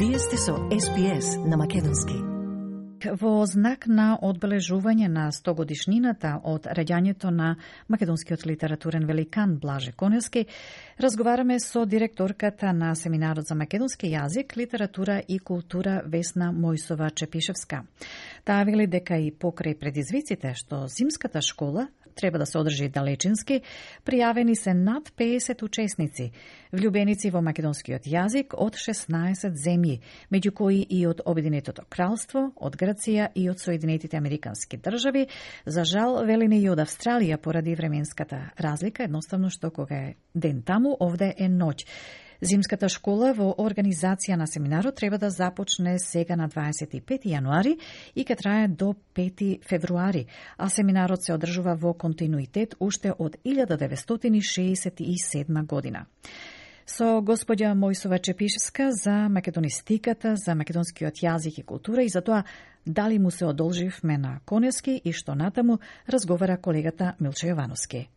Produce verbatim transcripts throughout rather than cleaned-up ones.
Вие сте со Ес Би Ес на македонски. Во знак на одбележување на сто годишнината од раѓањето на македонскиот литературен великан Блаже Коневски, разговараме со директорката на Семинарот за македонски јазик, литература и култура Весна Мојсова-Чепишевска. Таа вели дека и покрај предизвиците што зимската школа треба да се одржи далечински, пријавени се над педесет учесници, влюбеници во македонскиот јазик од шеснаесет земји, меѓу кои и од Обединетото кралство, од Грција и од Соединетите Американски држави. За жал, велине и од Австралија поради временската разлика, едноставно што кога е ден таму, овде е ноќ. Зимската школа во организација на семинарот треба да започне сега на дваесет и пети јануари и ќе трае до пети февруари, а семинарот се одржува во континуитет уште од илјада деветстотини шеесет и седма година. Со господја Мојсова-Чепишевска за македонистиката, за македонскиот јазик и култура и за тоа дали му се одолживме на Коневски и што натаму разговара колегата Милче Јовановски.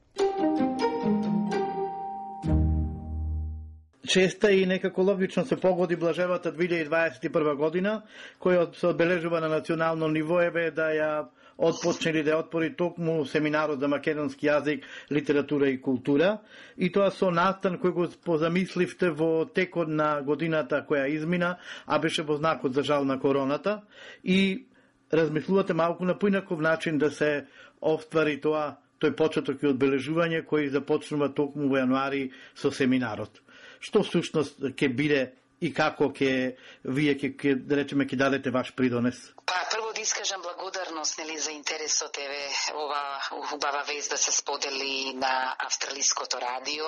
Честа и некако логично се погоди Блажевата две илјади дваесет и прва година, која се одбележува на национално ниво, еве да ја отпочнели да отпори токму семинарот за македонски јазик, литература и култура, и тоа со настан кој го позамисливте во текот на годината која измина, а беше во знакот за жал на короната, и размислувате малку на поинаков начин да се оствари тоа, тој почеток и одбележување кој започнува токму во јануари со семинарот. Што всушност ќе биде и како ќе вие ќе, ќе да речеме ќе дадете ваш придонес? Па прво да искажам благодарност нели за интересот, еве ова убава вест да се сподели на австралиското радио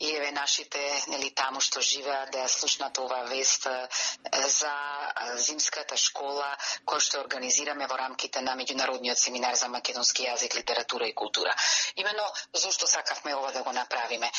и еве нашите нели таму што живеат да ја слушнат ова вест за зимската школа која што организираме во рамките на меѓународниот семинар за македонски јазик, литература и култура. Имено зошто сакавме ова да го направиме?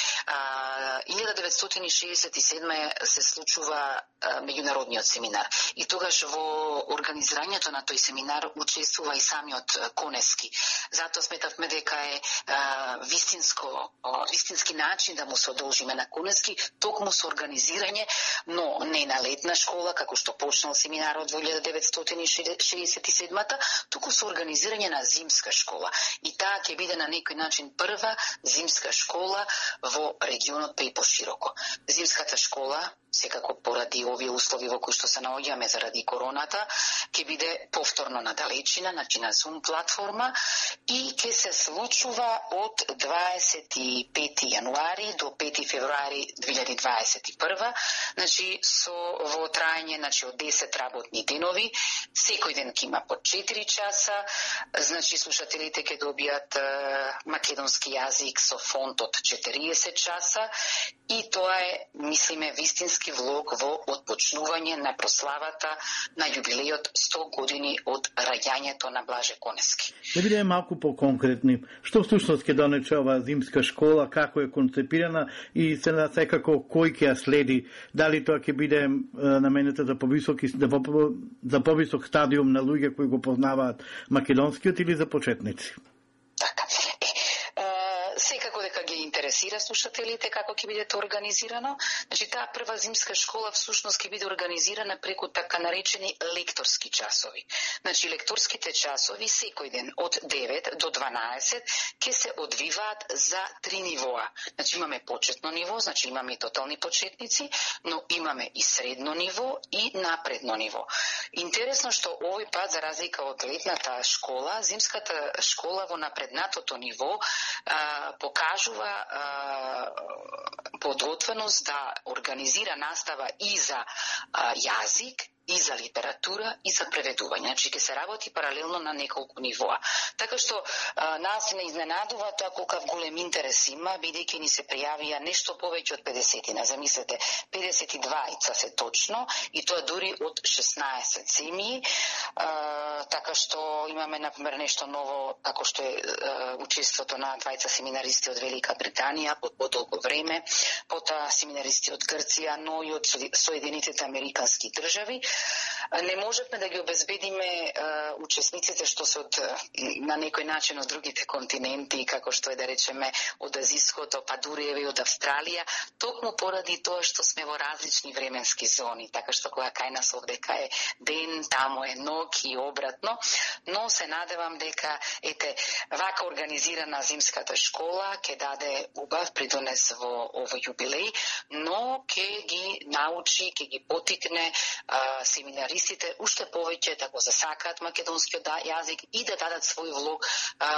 илјада деветстотини шеесет и седма се случува меѓународниот семинар и тогаш во организирањето на тој семинар учествува и самиот Коневски. Затоа сметавме дека е а, вистинско, а, вистински начин да му се одолжиме на Коневски, токму со организирање, но не на летна школа, како што почнал семинарот во илјада деветстотини шеесет и седма, туку со организирање на зимска школа. И таа ќе биде на некој начин прва зимска школа во регионот, па и пошироко. Зимската школа, секако поради овие услови во кои што се наоѓаме заради короната, ќе биде повторно на далечина, значи на Zoom платформа, и ќе се случува од дваесет и пети јануари до пети февруари две илјади дваесет и прва, значи со во траење значи од десет работни денови, секој ден ќе има по четири часа, значи слушателите ќе добијат е, македонски јазик со фонд од четириесет часа и тоа е, мислиме, вистински влог во отпочнување на прославата на јубилејот сто години од раѓањето на Блаже Коневски. Да бидеме малку по-конкретни. Што всушност ќе донече оваа зимска школа, како е концепирана и се на секако кој ќе ја следи? Дали тоа ќе биде наменета за повисоки за повисок стадиум на луѓе кои го познаваат македонскиот или за почетници? Така. Секако дека ги интересира слушателите како ќе биде тоа организирано. Значи таа прва зимска школа всушност ќе биде организирана преку така наречени лекторски часови. Значи лекторските часови секој ден од девет до дванаесет ќе се одвиваат за три нивоа. Значи имаме почетно ниво, значи имаме и тотални почетници, но имаме и средно ниво и напредно ниво. Интересно што овој пат за разлика од летната школа, зимската школа во напреднатото ниво а, покажува а, подготвеност да организира настава и за а, јазик, и за литература, и за преведување. Значи, ќе се работи паралелно на неколку нивоа. Така што а, нас не изненадува тоа колкав голем интерес има, бидејќи ни се пријавија нешто повеќе од педесетина. Замислете, педесет и дваица се точно, и тоа дури од шеснаесет земји. А, така што имаме, например, нешто ново, како што е а, учеството на двајца семинаристи од Велика Британија под подолго време, потоа семинаристи од Грција, но и од Соединетите Американски држави. Не можевме да ги обезбедиме а, учесниците што се од на некој начин од другите континенти, како што е да речеме од Азиското, па дури и од Австралија, токму поради тоа што сме во различни временски зони, така што кога кај нас овдека е ден, таму е ног и обратно, но се надевам дека ете вака организирана зимската школа ќе даде убав придонес во овој јубилеј, но ќе ги научи, ќе ги потикне а, семинаристите уште повеќе да го засакаат македонскиот јазик и да дадат свој влог а,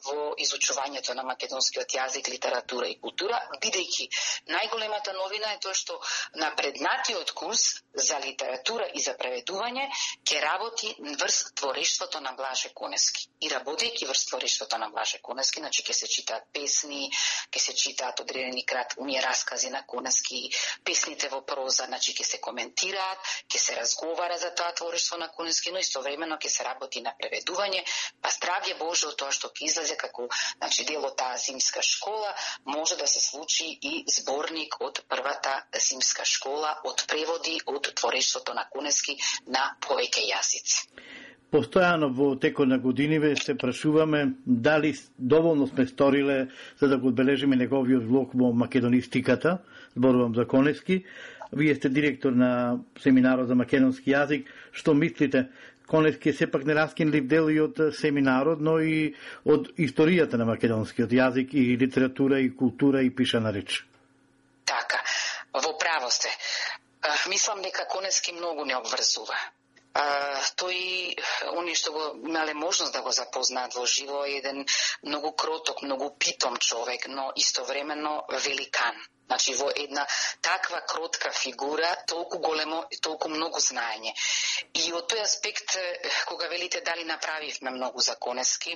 во изучувањето на македонскиот јазик, литература и култура, бидејќи најголемата новина е тоа што на преднатиот курс за литература и за преведување ќе работи врз творештвото на Блаже Конески. И работејќи врз творештвото на Блаже Конески, значи ќе се читаат песни, ќе се читаат одредени кратки раскази на Конески, песните во проза, значи ќе се коментираат, ќе се разговара за тоа творештво на Конески, но истовремено ќе се работи на преведување, па здравје Боже од тоа што ќе излезе како значи дел од таа зимска школа, може да се случи и зборник од првата зимска школа, од преводи од творештвото на Конески на повеќе јазици. Постојано во текот на годиниве се прашуваме дали доволно сме сториле за да го одбележиме неговиот влог во македонистиката, зборувам за Конески. Вие сте директор на семинарот за македонски јазик. Што мислите? Конески е сепак нераскинлив дел и од семинарот, но и од историјата на македонскиот јазик и литература и култура и пишана реч. Така, во право сте. Мислам дека Конески многу не обврзува. Uh, тој, они што го имале можност да го запознаат во живо, е еден многу кроток, многу питом човек, но истовремено великан. Значи, во една таква кротка фигура, толку големо и толку многу знаење. И од тој аспект, кога велите дали направивме многу за Конески,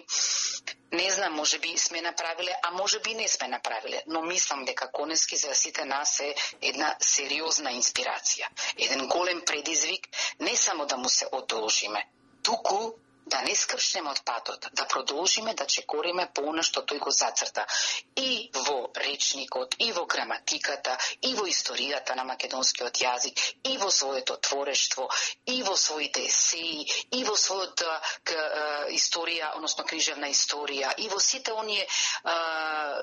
не знам, може би сме направиле, а може би не сме направиле, но мислам дека Конески за сите нас е една сериозна инспирација, еден голем предизвик, не само да му се одолжиме, туку да не скршнеме од патот, да продолжиме да чекориме по она што тој го зацрта. И во речникот, и во граматиката, и во историјата на македонскиот јазик, и во своето творештво, и во своите есеи, и во својата историја, односно книжевна историја, и во сите оние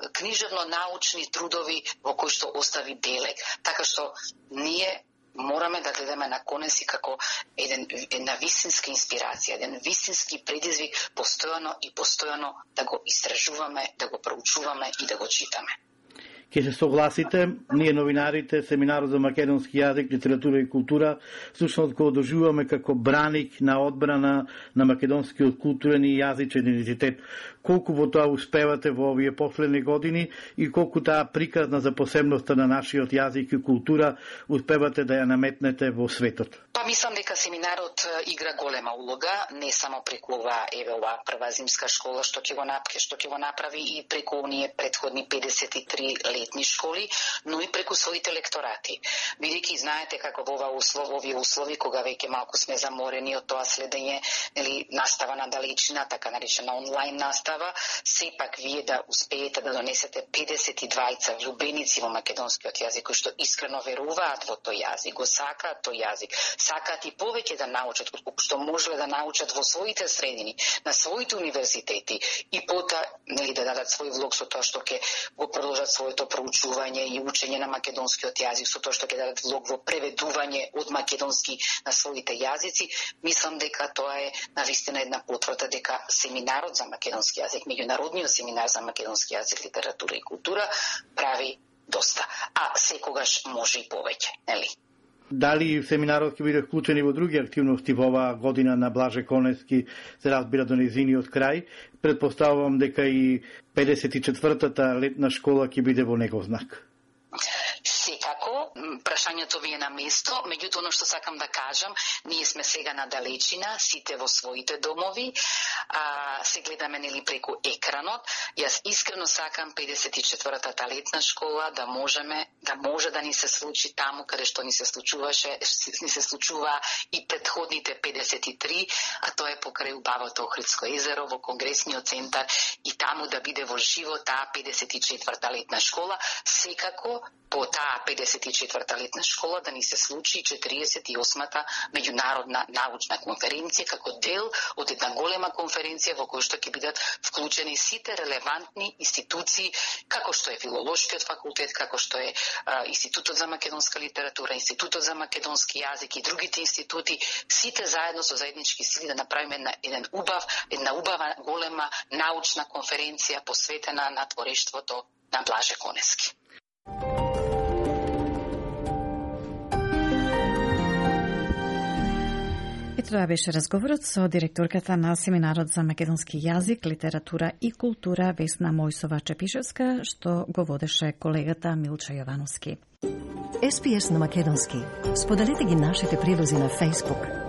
книжевно-научни трудови во кои што остави белег. Така што ние мораме да гледаме на Конески како еден, една вистинска инспирација, еден вистински предизвик, постојано и постојано да го истражуваме, да го проучуваме и да го читаме. Ке се согласите, ние новинарите, семинарот за македонски јазик, литература и култура, всушност го одожуваме како браник на одбрана на македонскиот културен и јазичен идентитет. Колку во тоа успевате во овие последни години и колку таа приказна за посебноста на нашиот јазик и култура успевате да ја наметнете во светот? Па мислам дека семинарот игра голема улога, не само преку ова еве ова прва зимска школа што ќе го направи, што ќе го направи и преку оние претходни педесет и три летни школи, но и преку своите лекторати. Бидејќи знаете како во ова услов, овие услови кога веќе малку сме заморени од тоа следење, нели настава на далечина, така наречена онлайн настава, сепак вие да успеете да донесете педесет и двајца влюбеници во македонскиот јазик кои што искрено веруваат во тој јазик, го сакаат тој јазик, сакаат и повеќе да научат колку што можеле да научат во своите средини, на своите универзитети и пота нели да дадат свој влог со тоа што ќе го продолжат своето проучување и учење на македонскиот јазик, со тоа што ќе дадат влог во преведување од македонски на своите јазици. Мислам дека тоа е навистина една потврда дека семинарот за македонски јазик, меѓународниот семинар за македонски јазик, литература и култура прави доста, а секогаш може и повеќе, нели? Дали семинарот ќе биде вклучен и во други активности во оваа година на Блаже Конески, се разбира до нејзиниот крај? Предпоставувам дека и педесет и четвртата летна школа ќе биде во негов знак. Секако, прашањето ви е на место, меѓутоа оно што сакам да кажам, ние сме сега на далечина, сите во своите домови, а, се гледаме нели преку екранот. Јас искрено сакам педесет и четвртата летна школа да можеме, да може да ни се случи таму каде што ни се случуваше, ни се случува и претходните педесет и три, а тоа е покрај убавото Охридско езеро во Конгресниот центар и таму да биде во живо таа педесет и четврта летна школа. Секако по таа педесет и четврта летна школа да ни се случи четириесет и осмата меѓународна научна конференција како дел од една голема конференција во која што ќе бидат вклучени сите релевантни институции, како што е Филолошкиот факултет, како што е а, Институтот за македонска литература, Институтот за македонски јазик и другите институти, сите заедно со заеднички сили да направиме една, еден убав, една убава голема научна конференција посветена на творештвото на Блаже Конески. Ето тоа беше разговорот со директорката на Семинарот за македонски јазик, литература и култура Весна Мојсова-Чепишевска, што го водеше колегата Милча Јовановски. Ес Би Ес на македонски. Споделете ги нашите прилози на Facebook.